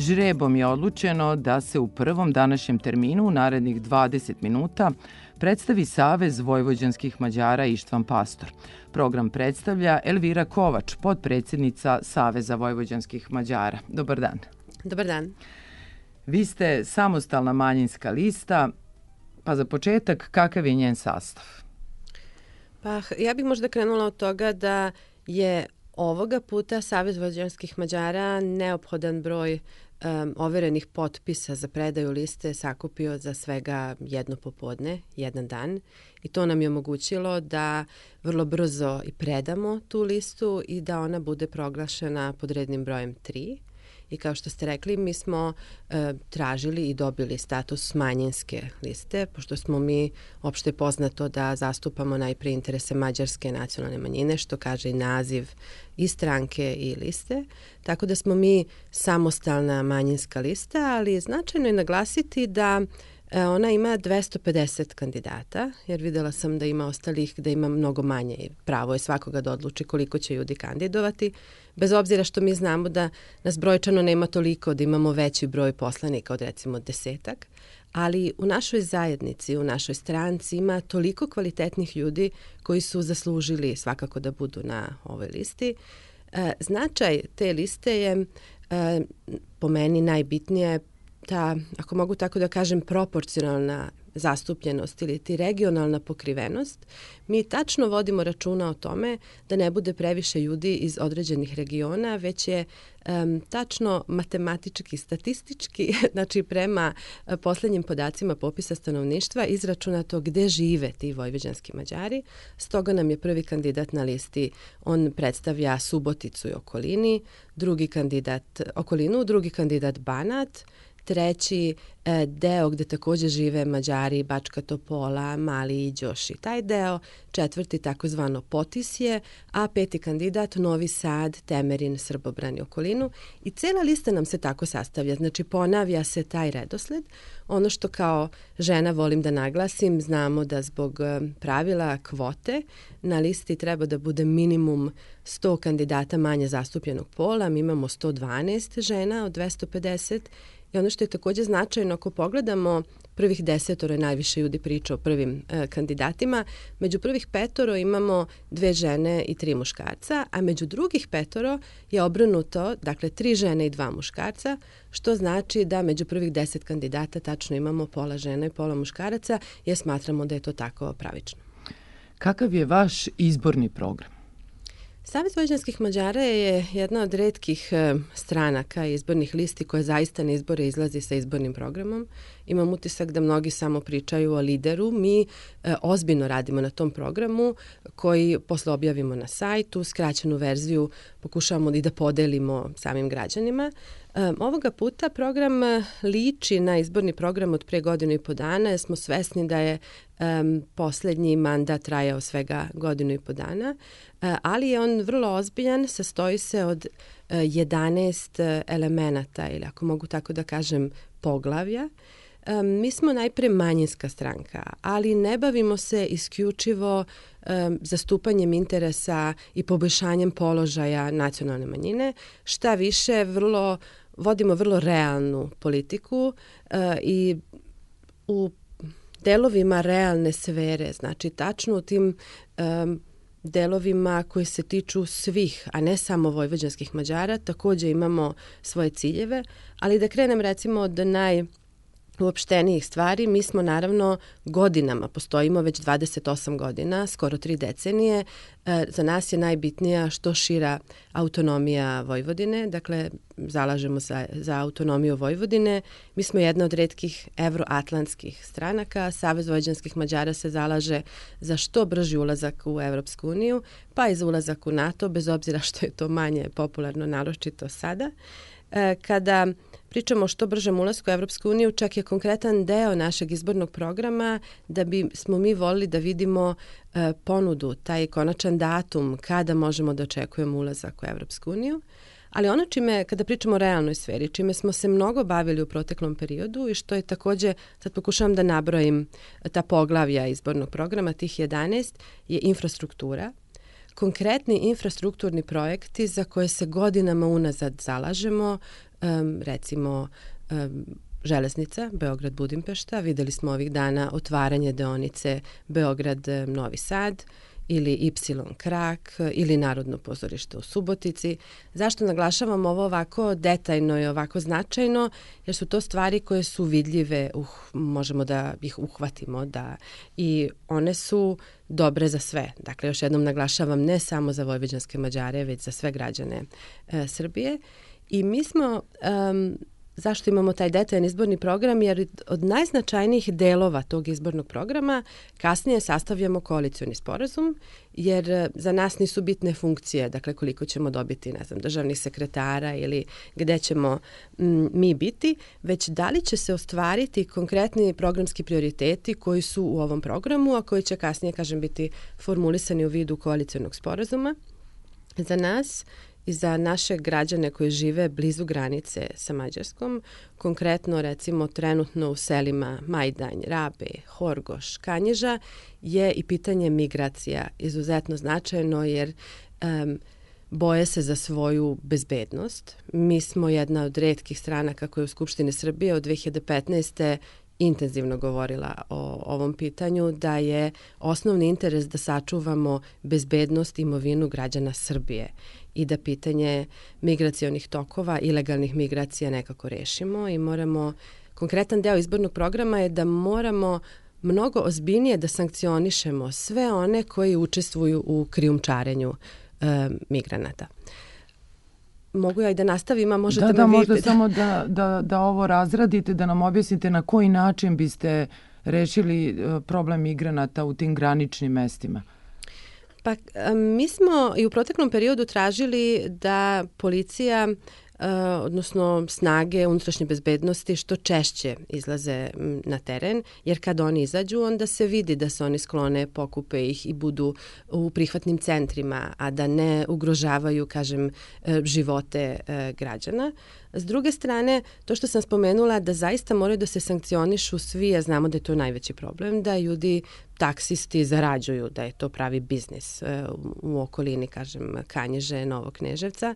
Žrebom je odlučeno da se u prvom današnjem terminu u narednih 20 minuta predstavi Savez vojvođanskih Mađara Ištvan Pastor. Program predstavlja Elvira Kovač, potpredsjednica Saveza vojvođanskih Mađara. Dobar dan. Dobar dan. Vi ste samostalna manjinska lista, pa za početak kakav je njen sastav? Pa ja bih možda krenula od toga da je ovoga puta Savez vojvođanskih Mađara neophodan broj overenih potpisa za predaju liste sakupio za svega jedno popodne, jedan dan, i to nam je omogućilo da vrlo brzo i predamo tu listu i da ona bude proglašena pod rednim brojem 3. I kao što ste rekli, mi smo tražili i dobili status manjinske liste, pošto smo mi opšte poznato da zastupamo najpre interese mađarske nacionalne manjine, što kaže i naziv i stranke i liste. Tako da smo mi samostalna manjinska lista, ali značajno je naglasiti da ona ima 250 kandidata, jer videla sam da ima ostalih, da ima mnogo manje i pravo je svakoga da odluči koliko će ljudi kandidovati, bez obzira što mi znamo da nas brojčano nema toliko, da imamo veći broj poslanika od recimo 10, ali u našoj zajednici, u našoj stranci ima toliko kvalitetnih ljudi koji su zaslužili svakako da budu na ovoj listi. Značaj te liste je po meni najbitnije ta, ako mogu tako da kažem, proporcionalna zastupljenost ili ti regionalna pokrivenost. Mi tačno vodimo računa o tome da ne bude previše ljudi iz određenih regiona, već je tačno matematički, statistički, znači prema poslednjim podacima popisa stanovništva izračunato gde žive ti vojvođanski Mađari. Stoga nam je prvi kandidat na listi, on predstavlja Suboticu i drugi kandidat Banat, treći deo gde takođe žive Mađari, Bačka Topola, Mali Iđoš i taj deo, četvrti takozvano Potisje, a peti kandidat Novi Sad, Temerin, Srbobran i okolinu. I cela lista nam se tako sastavlja, znači ponavlja se taj redosled. Ono što kao žena volim da naglasim, znamo da zbog pravila kvote na listi treba da bude minimum 100 kandidata manje zastupljenog pola, mi imamo 112 žena od 250. I ono što je takođe značajno, ako pogledamo prvih 10 najviše ljudi priča o prvim kandidatima, među prvih 5 imamo 2 žene i 3 muškarca, a među drugih 5 je obrnuto, dakle 3 žene i 2 muškarca, što znači da među prvih 10 kandidata tačno imamo pola žena i pola muškaraca, jer smatramo da je to tako pravično. Kakav je vaš izborni program? Savez vojvođanskih Mađara je jedna od retkih stranaka i izbornih listi koja zaista na izbore izlazi sa izbornim programom. Imam utisak da mnogi samo pričaju o lideru. Mi ozbiljno radimo na tom programu koji posle objavimo na sajtu, skraćenu verziju pokušavamo i da podelimo samim građanima. Ovoga puta program liči na izborni program od pre 1,5 godina, jer smo svesni da je poslednji mandat trajao svega 1,5 dana, ali je on vrlo ozbiljan, sastoji se od 11 elemenata ili ako mogu tako da kažem poglavlja. Mi smo najpre manjinska stranka, ali ne bavimo se isključivo zastupanjem interesa i poboljšanjem položaja nacionalne manjine. Šta više, vodimo vrlo realnu politiku i u delovima realne sfere, znači tačno u tim delovima koji se tiču svih, a ne samo vojvođanskih Mađara, takođe imamo svoje ciljeve, ali da krenem recimo od uopštenijih stvari, mi smo naravno godinama, postojimo već 28 godina, skoro 3 decenije. Za nas je najbitnija što šira autonomija Vojvodine, dakle zalažemo za autonomiju Vojvodine. Mi smo jedna od retkih evroatlantskih stranaka. Savez vojvođanskih Mađara se zalaže za što brži ulazak u Evropsku uniju, pa i za ulazak u NATO, bez obzira što je to manje popularno, naročito sada. Kada pričamo o što bržem ulasku u Evropsku uniju, čak je konkretan deo našeg izbornog programa da smo mi volili da vidimo ponudu, taj konačan datum kada možemo da očekujemo ulazak u Evropsku uniju. Ali ono kada pričamo o realnoj sferi, čime smo se mnogo bavili u proteklom periodu i što je takođe, sad pokušavam da nabrojim ta poglavlja izbornog programa, tih 11, je infrastruktura. Konkretni infrastrukturni projekti za koje se godinama unazad zalažemo, recimo železnica Beograd-Budimpešta. Videli smo ovih dana otvaranje deonice Beograd-Novi Sad ili Y-krak ili Narodno pozorište u Subotici. Zašto naglašavam ovo ovako detaljno i ovako značajno? Jer su to stvari koje su vidljive, možemo da ih uhvatimo i one su dobre za sve. Dakle, još jednom naglašavam, ne samo za vojvođanske Mađare, već za sve građane Srbije. I mi smo... Zašto imamo taj detaljan izborni program? Jer od najznačajnijih delova tog izbornog programa kasnije sastavljamo koalicioni sporazum, jer za nas nisu bitne funkcije, dakle koliko ćemo dobiti, ne znam, državnih sekretara ili gde ćemo mi biti, već da li će se ostvariti konkretni programski prioriteti koji su u ovom programu, a koji će kasnije, kažem, biti formulisani u vidu koalicionog sporazuma. Za nas i za naše građane koji žive blizu granice sa Mađarskom, konkretno recimo trenutno u selima Majdanj, Rabe, Horgoš, Kanjiža, je i pitanje migracija izuzetno značajno jer boje se za svoju bezbednost. Mi smo jedna od retkih stranaka koja je u Skupštini Srbije od 2015. intenzivno govorila o ovom pitanju, da je osnovni interes da sačuvamo bezbednost i imovinu građana Srbije i da pitanje migracionih tokova, ilegalnih migracija nekako rešimo i moramo, konkretan deo izbornog programa je da moramo mnogo ozbiljnije da sankcionišemo sve one koji učestvuju u krijumčarenju migranata. Mogu ja i da nastavim, a možete me vi... možda samo da ovo razradite, da nam objasnite na koji način biste rešili problem migranata u tim graničnim mestima. Pa mi smo i u proteklom periodu tražili da policija, odnosno snage unutrašnje bezbednosti što češće izlaze na teren, jer kad oni izađu, onda se vidi da se oni sklone, pokupe ih i budu u prihvatnim centrima, a da ne ugrožavaju, kažem, živote građana. S druge strane, to što sam spomenula da zaista moraju da se sankcionišu svi, a znamo da je to najveći problem, da ljudi, taksisti zarađuju, da je to pravi biznis u okolini, kažem, Kanjiže, Novog Kneževca,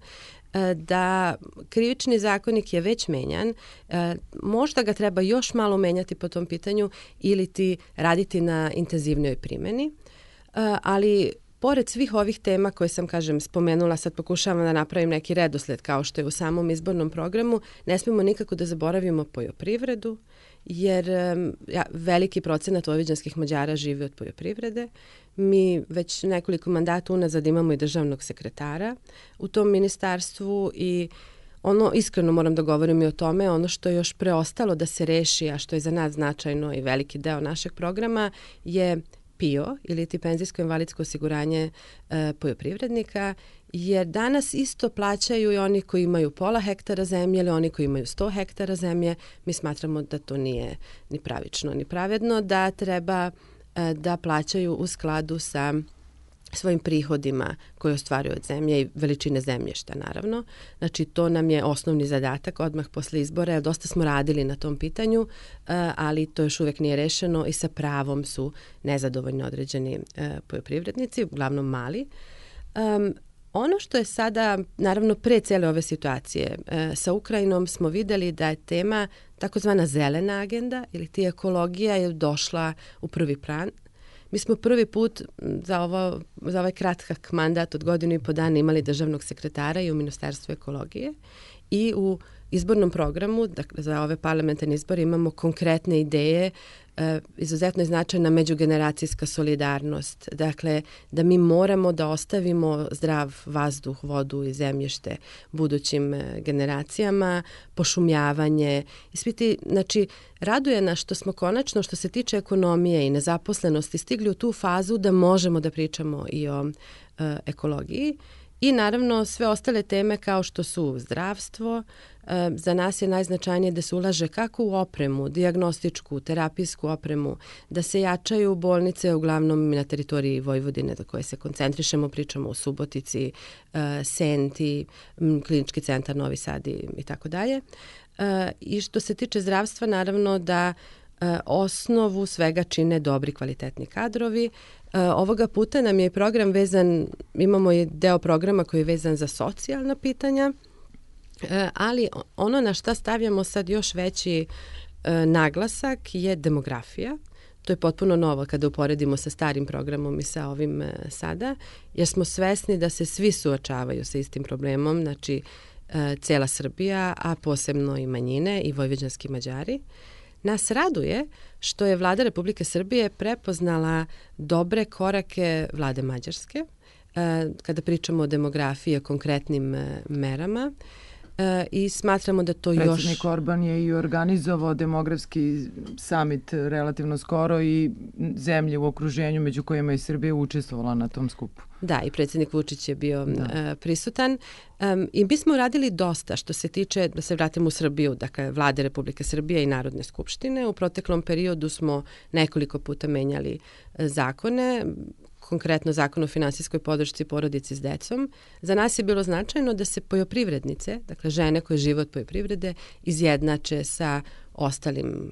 da krivični zakonik je već menjan, možda ga treba još malo menjati po tom pitanju ili ti raditi na intenzivnoj primjeni, ali pored svih ovih tema koje sam, kažem, spomenula, sad pokušavam da napravim neki redosled kao što je u samom izbornom programu, ne smemo nikako da zaboravimo poljoprivredu, jer veliki procenat vojvođanskih Mađara živi od poljoprivrede. Mi već nekoliko mandata unazad imamo i državnog sekretara u tom ministarstvu i iskreno moram da govorim i o tome, ono što je još preostalo da se reši, a što je za nas značajno i veliki deo našeg programa, je PIO ili ti penzijsko-invalidsko osiguranje poljoprivrednika, jer danas isto plaćaju i oni koji imaju pola hektara zemlje ili oni koji imaju 100 hektara zemlje. Mi smatramo da to nije ni pravično ni pravedno, da treba da plaćaju u skladu sa svojim prihodima koje ostvaruju od zemlje i veličine zemljišta, naravno. Znači, to nam je osnovni zadatak odmah posle izbora, jer dosta smo radili na tom pitanju, ali to još uvek nije rešeno i sa pravom su nezadovoljni određeni poljoprivrednici, uglavnom mali. Ono što je sada, naravno, pre cele ove situacije sa Ukrajinom smo videli da je tema takozvana zelena agenda ili ti ekologija je došla u prvi plan. Mi smo prvi put za ovaj kratak mandat od 1.5 godina imali državnog sekretara i u Ministarstvu ekologije i u izbornom programu, dakle za ove parlamentarne izbore imamo konkretne ideje, izuzetno je značajna međugeneracijska solidarnost, dakle da mi moramo da ostavimo zdrav vazduh, vodu i zemljište budućim generacijama, pošumljavanje i svi ti, znači raduje nas što smo konačno što se tiče ekonomije i nezaposlenosti stigli u tu fazu da možemo da pričamo i o ekologiji. I naravno sve ostale teme kao što su zdravstvo, za nas je najznačajnije da se ulaže kako u opremu, dijagnostičku, terapijsku opremu, da se jačaju bolnice uglavnom na teritoriji Vojvodine za koje se koncentrišemo, pričamo o Subotici, Senti, Klinički centar Novi Sad i tako dalje. I što se tiče zdravstva, naravno da osnovu svega čine dobri kvalitetni kadrovi. Ovoga puta nam je program vezan, imamo i deo programa koji je vezan za socijalna pitanja Ali ono na šta stavljamo sad još veći naglasak je demografija. To je potpuno novo kada uporedimo sa starim programom i sa ovim sada, jer smo svesni da se svi suočavaju sa istim problemom, znači cela Srbija, a posebno i manjine i vojvođanski Mađari. Nas raduje što je Vlada Republike Srbije prepoznala dobre korake Vlade Mađarske, kada pričamo o demografiji, o konkretnim merama, i smatramo da to Predsjednik Orban je i organizovao demografski summit relativno skoro i zemlje u okruženju među kojima je Srbija učestvovala na tom skupu. Da, i predsjednik Vučić je bio prisutan. I mi smo radili dosta što se tiče, da se vratimo u Srbiju, dakle Vlade Republike Srbije i Narodne skupštine. U proteklom periodu smo nekoliko puta menjali zakone, konkretno Zakon o finansijskoj podršci porodici s decom. Za nas je bilo značajno da se poljoprivrednice, dakle žene koje žive od poljoprivrede, izjednače sa ostalim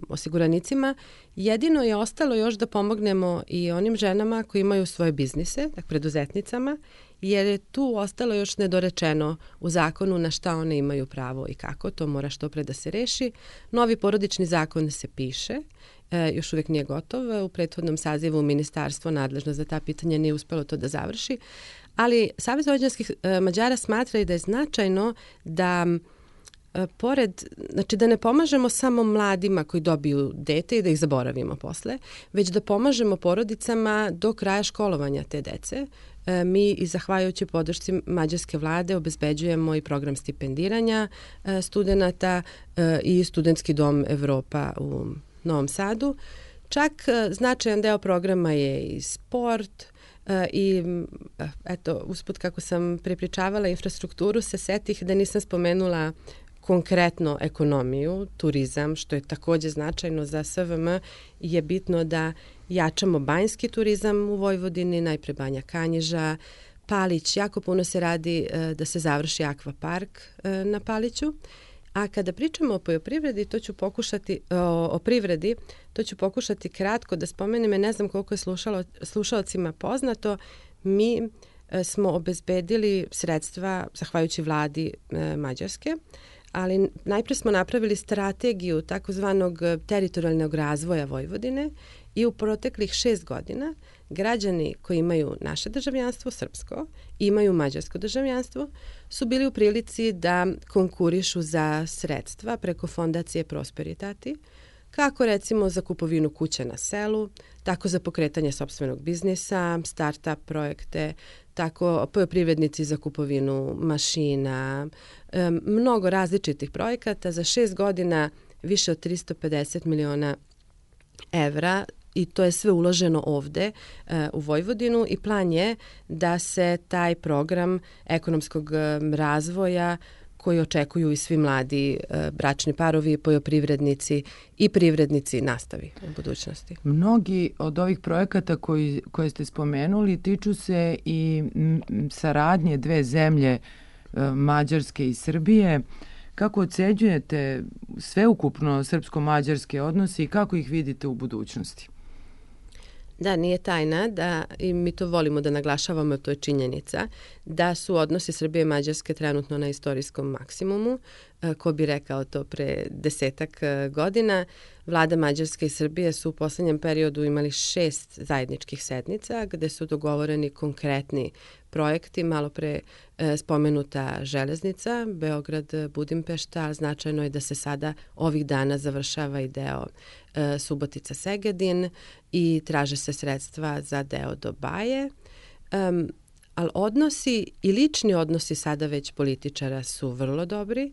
osiguranicima. Jedino je ostalo još da pomognemo i onim ženama koji imaju svoje biznise, dakle preduzetnicama, jer je tu ostalo još nedorečeno u zakonu na šta one imaju pravo i kako. To mora što pre da se reši. Novi porodični zakon se piše, još uvijek nije gotov. U prethodnom sazivu ministarstvo nadležno za ta pitanja nije uspelo to da završi, ali Savez vojvođanskih Mađara smatra i da je značajno da znači da ne pomažemo samo mladima koji dobiju dete i da ih zaboravimo posle, već da pomažemo porodicama do kraja školovanja te dece. Mi i zahvaljujući podršci mađarske vlade obezbeđujemo i program stipendiranja studenata i studentski dom Evropa u Novom Sadu. Čak značajan deo programa je i sport i eto, usput kako sam prepričavala infrastrukturu, se setih da nisam spomenula konkretno ekonomiju, turizam, što je takođe značajno za SVM, je bitno da jačamo banjski turizam u Vojvodini, najpre Banja Kanjiža, Palić, jako puno se radi da se završi akvapark na Paliću. A kada pričamo o poljoprivredi, o privredi, to ću pokušati kratko da spomenem, ne znam koliko je slušalcima poznato, mi smo obezbedili sredstva zahvaljujući vladi Mađarske, ali najpre smo napravili strategiju takozvanog teritorijalnog razvoja Vojvodine i u proteklih 6 godina građani koji imaju naše državljanstvo, srpsko, i imaju mađarsko državljanstvo, su bili u prilici da konkurišu za sredstva preko fondacije Prosperitati, kako recimo za kupovinu kuće na selu, tako za pokretanje sopstvenog biznisa, start-up projekte, tako poljoprivrednici za kupovinu mašina, mnogo različitih projekata. Za 6 godina više od 350 miliona evra i to je sve uloženo ovde u Vojvodinu i plan je da se taj program ekonomskog razvoja koji očekuju i svi mladi bračni parovi, poljoprivrednici i privrednici nastavi u budućnosti. Mnogi od ovih projekata koje ste spomenuli tiču se i saradnje dve zemlje, Mađarske i Srbije. Kako ocenjujete sveukupno srpsko-mađarske odnose i kako ih vidite u budućnosti? Da, nije tajna da, i mi to volimo da naglašavamo, to je činjenica, da su odnosi Srbije i Mađarske trenutno na istorijskom maksimumu. Ko bi rekao to pre 10 godina. Vlada Mađarske i Srbije su u poslednjem periodu imali 6 zajedničkih sednica gde su dogovoreni konkretni projekti, malo pre spomenuta železnica, Beograd-Budimpešta, značajno je da se sada ovih dana završava i deo Subotica-Segedin i traže se sredstva za deo do Baje. Ali odnosi i lični odnosi sada već političara su vrlo dobri.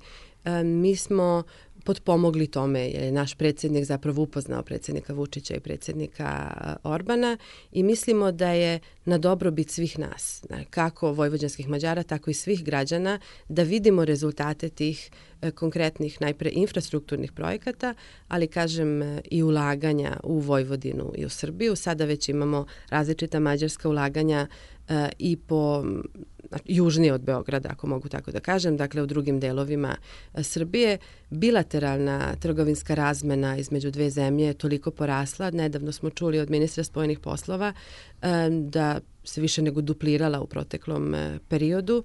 Mi smo potpomogli tome jer je naš predsjednik zapravo upoznao predsjednika Vučića i predsjednika Orbana i mislimo da je na dobrobit svih nas, kako vojvođanskih Mađara, tako i svih građana, da vidimo rezultate tih konkretnih najpre infrastrukturnih projekata, ali kažem i ulaganja u Vojvodinu i u Srbiju. Sada već imamo različita mađarska ulaganja i po južnije od Beograda, ako mogu tako da kažem, dakle u drugim delovima Srbije. Bilateralna trgovinska razmena između dve zemlje je toliko porasla. Nedavno smo čuli od ministra spojenih poslova da se više nego duplirala u proteklom periodu.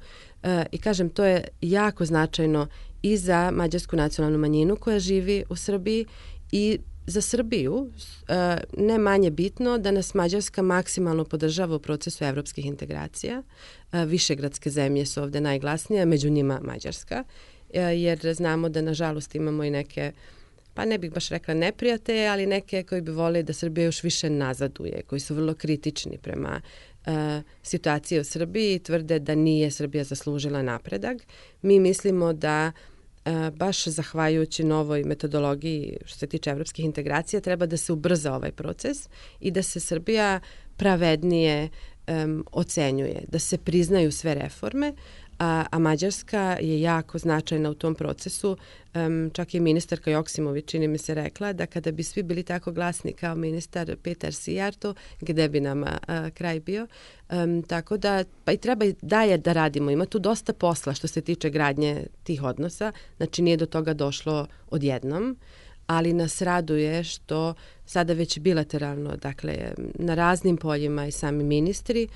I kažem, to je jako značajno i za mađarsku nacionalnu manjinu koja živi u Srbiji i za Srbiju, ne manje bitno da nas Mađarska maksimalno podržava u procesu evropskih integracija. Višegradske zemlje su ovde najglasnije, među njima Mađarska, jer znamo da nažalost imamo i neke, pa ne bih baš rekla neprijatelje, ali neke koji bi voleli da Srbija još više nazaduje, koji su vrlo kritični prema situaciji u Srbiji i tvrde da nije Srbija zaslužila napredak. Mi mislimo da baš zahvaljujući novoj metodologiji što se tiče evropskih integracija treba da se ubrza ovaj proces i da se Srbija pravednije ocenjuje, da se priznaju sve reforme, a Mađarska je jako značajna u tom procesu. Čak je ministarka Joksimović, čini mi se, rekla da kada bi svi bili tako glasni kao ministar Petar Sijarto, gde bi nama kraj bio. Tako da, pa i treba i dalje da radimo. Ima tu dosta posla što se tiče gradnje tih odnosa. Znači nije do toga došlo odjednom, ali nas raduje što sada već bilateralno, dakle, na raznim poljima i sami ministri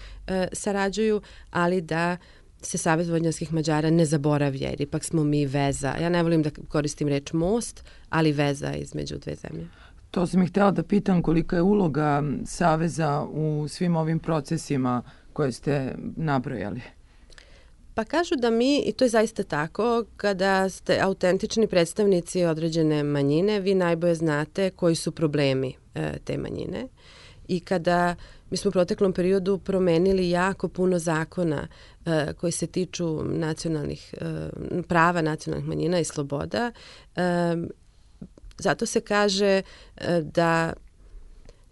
sarađuju, ali da se Savez vojvođanskih Mađara ne zaboravlja, jer ipak smo mi veza. Ja ne volim da koristim reč most, ali veza između dve zemlje. To sam ih htjela da pitam kolika je uloga Saveza u svim ovim procesima koje ste nabrojali. Pa kažu da mi, i to je zaista tako, kada ste autentični predstavnici određene manjine, vi najbolje znate koji su problemi te manjine. I kada mi smo u proteklom periodu promenili jako puno zakona koji se tiču nacionalnih prava nacionalnih manjina i sloboda, zato se kaže da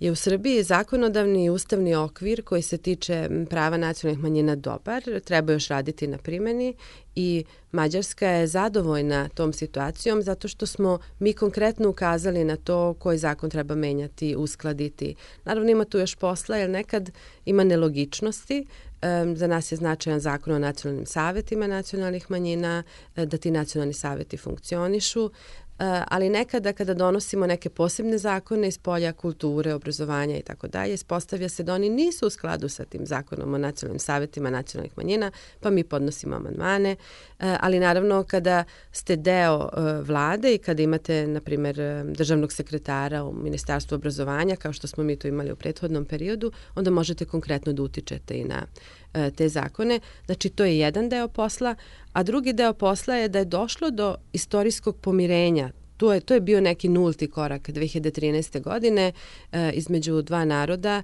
je u Srbiji zakonodavni i ustavni okvir koji se tiče prava nacionalnih manjina dobar, treba još raditi na primjeni i Mađarska je zadovoljna tom situacijom zato što smo mi konkretno ukazali na to koji zakon treba menjati, uskladiti. Naravno ima tu još posla jer nekad ima nelogičnosti. Za nas je značajan zakon o nacionalnim savetima nacionalnih manjina, da ti nacionalni saveti funkcionišu. Ali nekada kada donosimo neke posebne zakone iz polja kulture, obrazovanja i tako dalje, ispostavlja se da oni nisu u skladu sa tim zakonom o nacionalnim savetima nacionalnih manjina, pa mi podnosimo amandmane. Ali naravno kada ste deo vlade i kada imate, na primjer, državnog sekretara u Ministarstvu obrazovanja, kao što smo mi to imali u prethodnom periodu, onda možete konkretno da utičete i na te zakone. Znači, to je jedan deo posla, a drugi deo posla je da je došlo do istorijskog pomirenja. To je bio neki nulti korak 2013. godine između dva naroda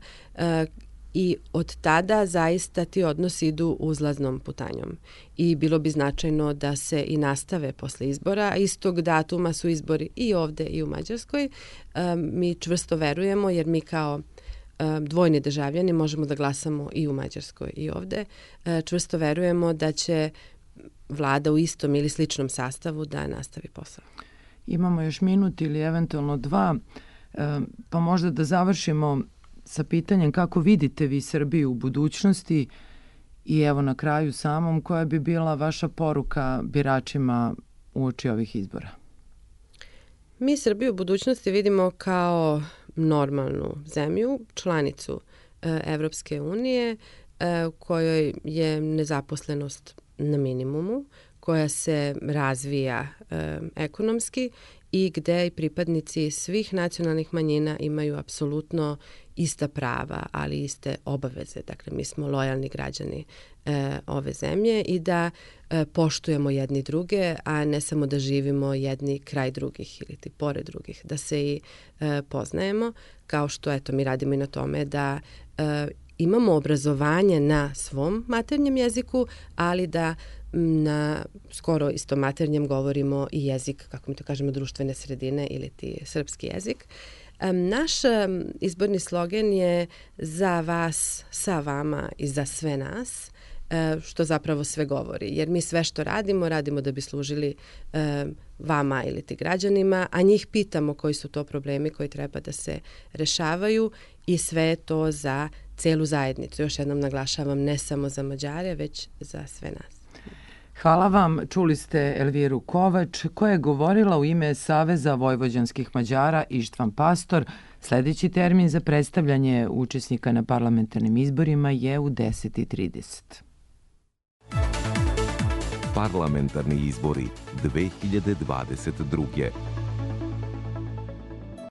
i od tada zaista ti odnosi idu uzlaznom putanjom. I bilo bi značajno da se i nastave posle izbora, a istog datuma su izbori i ovde i u Mađarskoj. Mi čvrsto verujemo jer mi kao dvojni državljani možemo da glasamo i u Mađarskoj i ovde. Čvrsto verujemo da će vlada u istom ili sličnom sastavu da nastavi posao. Imamo još minut ili eventualno dva, pa možda da završimo sa pitanjem kako vidite vi Srbiju u budućnosti i evo na kraju samom koja bi bila vaša poruka biračima uoči ovih izbora? Mi Srbiju u budućnosti vidimo kao normalnu zemlju, članicu Evropske unije, u kojoj je nezaposlenost na minimumu, koja se razvija ekonomski i gde i pripadnici svih nacionalnih manjina imaju apsolutno ista prava, ali iste obaveze. Dakle, mi smo lojalni građani ove zemlje i da poštujemo jedni druge, a ne samo da živimo jedni kraj drugih ili ti pored drugih, da se i poznajemo, kao što eto mi radimo i na tome da imamo obrazovanje na svom maternjem jeziku, ali da na skoro istom maternjem govorimo i jezik, kako mi to kažemo, društvene sredine ili ti srpski jezik. Naš izborni slogan je za vas, sa vama i za sve nas, što zapravo sve govori. Jer mi sve što radimo, radimo da bi služili vama ili ti građanima, a njih pitamo koji su to problemi koji treba da se rešavaju i sve je to za celu zajednicu. Još jednom naglašavam, ne samo za Mađare, već za sve nas. Hvala vam. Čuli ste Elviru Kovač, koja je govorila u ime Saveza vojvođanskih Mađara Ištvan Pastor. Sljedeći termin za predstavljanje učesnika na parlamentarnim izborima je u 10:30. Parlamentarni izbori 2022.